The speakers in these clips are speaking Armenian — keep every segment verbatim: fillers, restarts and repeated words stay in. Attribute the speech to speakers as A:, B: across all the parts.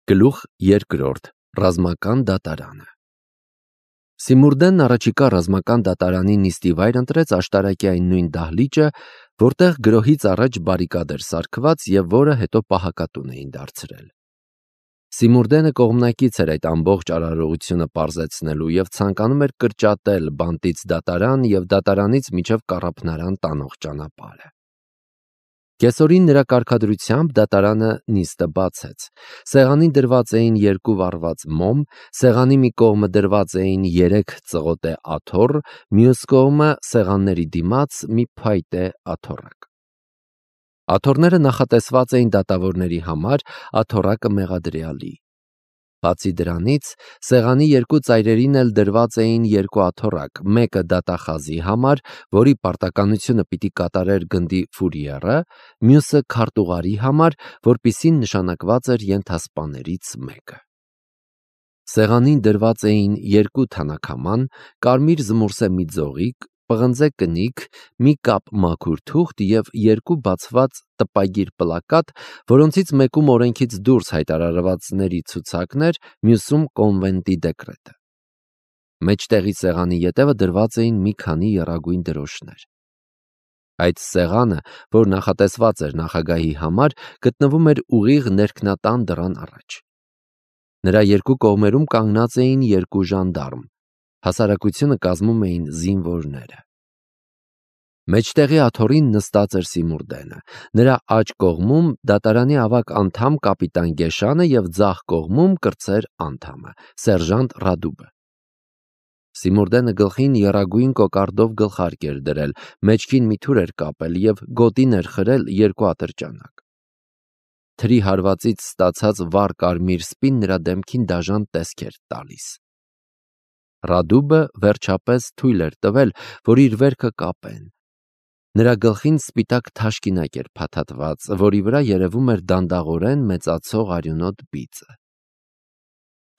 A: Գլուխ երկրորդ. Ռազմական դատարանը։ Սիմուրդենն առաջիկա ռազմական դատարանի նիստի վայր ընտրեց աշտարակի այն նույն դահլիճը, որտեղ գրոհից առաջ բարիկադ էր սարքված և որը հետո պահակատուն էին դարձրել։ Սիմուրդենը կողմնակից էր այդ ամբողջ արարողությունը պարզեցնելու և ցանկանում էր կրճատել բանտից դատարան և դատարանից մինչև կառափնարան տանող ճանապարհը։ Կեսօրին նրա կարգադրությամբ դատարանը նիստը բացեց։ Սեղանին դրված էին երկու վառված մոմ, սեղանի մի կողմը դրված էին երեք ծղոտե աթոռ, մյուս կողմը սեղանների դիմաց մի փայտե աթոռակ։ Աթոռները նախատեսված էին դատավորների համար, աթոռակը մեղադրյալի։ Բացի դրանից, սեղանի երկու ծայրերին էլ դրված էին երկու աթոռակ, մեկը դատախազի համար, որի պարտականությունը պիտի կատարեր գնդի ֆուրիերը, մյուսը քարտուղարի համար, որպիսին նշանակված էր ենթասպաներից մեկը։ Սեղանին դրված էին երկու թանաքաման, կարմիր զմուրսե մի ձողիկ, պղնձե կնիկ, մի կապ մաքուր թուղթ և երկու բացված տպագիր պլակատ, որոնցից մեկում օրենքից դուրս հայտարարվածների ցուցակներ, մյուսում կոնվենտի դեկրետը։ Մեջտեղի սեղանի ետևը դրված էին մի քանի եռագույն դրոշներ։ Այդ սեղանը, որ նախատեսված էր նախագահի համար, գտնվում էր ուղիղ ներքնատան դռան առաջ։ Նրա երկու կողմերում կանգնած էին երկու ժանդարմ, հասարակությունը կազմում էին զինվորները։ Մեջտեղի աթոռին նստած էր Սիմուրդենը, նրա աջ կողմում դատարանի ավագ անդամ կապիտան Գեշանը և ձախ կողմում կրտսեր անդամը, սերժանտ Ռադուբը։ Սիմուրդենը գլխին եռագույն կոկարդով գլխարկ էր դրել, մեջքին մի թուր էր կապել և գոտին էր խրել երկու ատրճանակ։ Թրի հարվածից ստացած վառ կարմիր սպին նրա դեմքին դաժան տեսք էր տալիս։ Ռադուբը վերջապես թույլ էր տվել, որ իր վերքը կապեն։ Նրա գլխին սպիտակ թաշկինակ էր փաթաթված, որի վրա երևում էր դանդաղորեն մեծացող արյունոտ բիծը։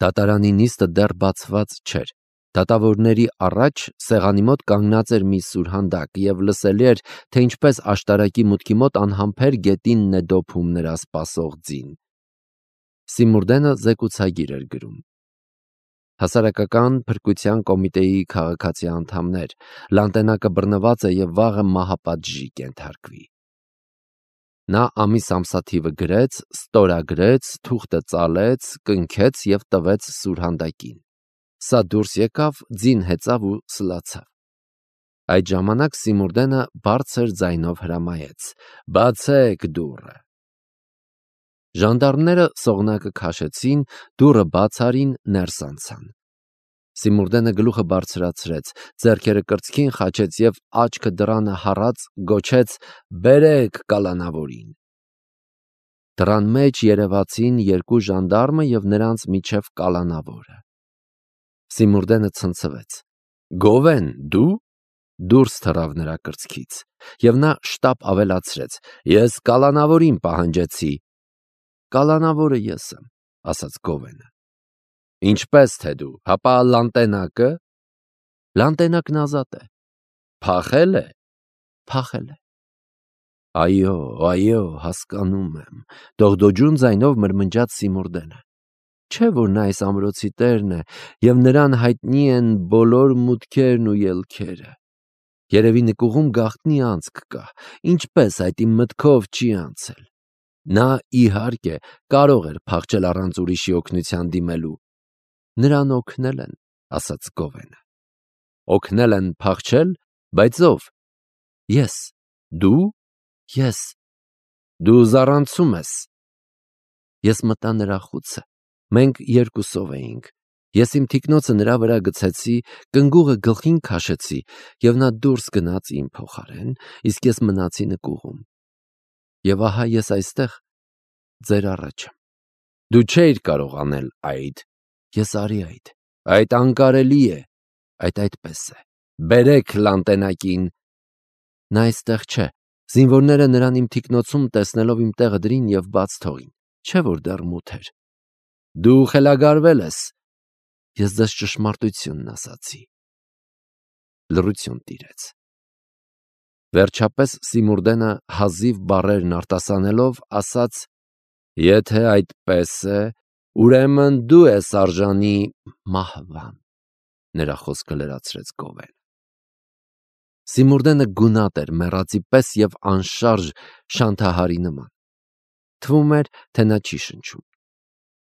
A: Դատարանի նիստը դեռ բացված չէր։ Դատավորների առաջ սեղանի մոտ կանգնած էր մի սուրհանդակ և լսելի էր, թե ինչպես աշտարակի մուտքի մոտ անհամբեր գետինն է դոփում նրա սպասող ձին։ Սիմուրդենը զեկուցագիր էր գրում. Հասարակական փրկության կոմիտեի քաղաքացի անդամներ, լանտենակը բռնված է և վաղը մահապատժի կենթարկվի։ Նա ամիս ամսաթիվը գրեց, ստորագրեց, թուղթը ծալեց, կնքեց և տվեց սուրհանդակին։ Սա դուրս եկավ, ձին հեծավ ու սլացավ։ Այդ ժամանակ Սիմուրդենը բարձր ձայնով հրամայեց. «Բացեք դուռը»։ Ժանդարմները սողնակը քաշեցին, դուռը բաց արին, ներս անցան։ Սիմուրդենը գլուխը բարձրացրեց, ձեռքերը կրծքին խաչեց և աչքը դռանը հառած գոչեց. «Բերեք կալանավորին»։ Դռան մեջ երևացին երկու ժանդարմը և նրանց միջև կալանավորը։ Սիմուրդենը ցնցվեց. «Գովեն, դու»։ Դուրս թռավ նրա կրծքից, և նա շտապ ավելացրեց. «Ես կալանավորին պահանջեցի»։ «Կալանավորը ես եմ», ասաց Գովենը։ «Ինչպես թե դու, հապա լանտենակը»։ «Լանտենակն ազատ է»։ «Փախել է»։ «Փախել է»։ «Այո, այո, հասկանում եմ», դողդոջուն ձայնով մրմնջաց Սիմուրդենը։ Չէ՞ որ նա այս ամրոցի տերն է, և նրան հայտնի են բոլոր մուտքերն ու ելքերը։ Երևի նկուղում գաղտնի անցք կա, ինչպես այդ իմ մտքով չի անցել։ Նա, իհարկե, կարող էր փախչել առանց ուրիշի օգնության դիմելու։ Նրան օգնել են, ասաց Գովենը։ Օգնել են փախչել, բայց ո՞վ։ Ես։ Դու։ Ես։ Դու զառանցում ես։ Ես մտա նրա խուցը։ Մենք երկուսով էինք։ Ես իմ թիկնոցը նրա վրա գցեցի, կնգուղը գլխին քաշեցի, և նա դուրս գնաց իմ փոխարեն, իսկ ես մնացի նկուղում։ Եվ ահա ես այստեղ ձեր առաջ եմ։ Դու չէիր կարող անել այդ։ Ես արի այդ։ Այդ անկարելի է։ Այդ այդպես է։ Բերեք լանտենակին։ Նա այստեղ չէ։ Զինվորները նրան իմ թիկնոցում տեսնելով իմ տեղը դրին և բաց թողին։ Չէ՞ որ դեռ մութ էր։ Դու խելագարվել ես։ Ես ձեզ ճշմարտությունն ասացի։ Լռություն տիրեց։ Վերջապես Սիմուրդենը հազիվ բառերն արտասանելով ասաց. «Եթե այդպես է, Ուրեմն դու ես արժանի մահվան, նրա խոսքը լրացրեց Գովեն։ Սիմուրդենը գունատ էր մեռածի պես և անշարժ շանթահարի նման։ Թվում էր, թե նա չի շնչում։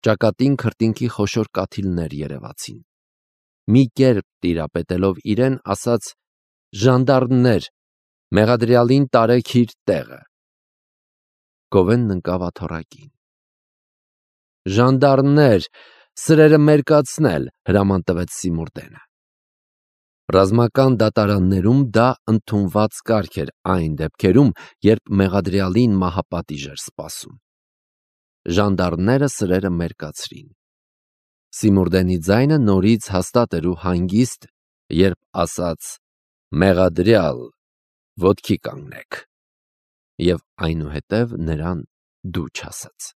A: Ճակատին քրտինքի խոշոր կաթիլներ երևացին։ Մի կերպ տիրապետելով իրեն, ասաց. «Ժանդարմներ, մեղադրյալին տարեք իր տեղը»։ Գովենն ընկավ աթոռակին։ «Ժանդարմներ, սրերը մերկացնել», հրաման տվեց Սիմուրդենը։ Ռազմական դատարաններում դա ընդունված կարգ էր այն դեպքերում, երբ մեղադրյալին մահապատիժ էր սպասում։ Ժանդարմները սրերը մերկացրին։ Սիմուրդենի ձայնը նորից հաստատ էր ու հանգիստ, երբ ասաց. «Մեղադրյալ, ոտքի կանգնեք», և այնուհետև նրան դու չասաց։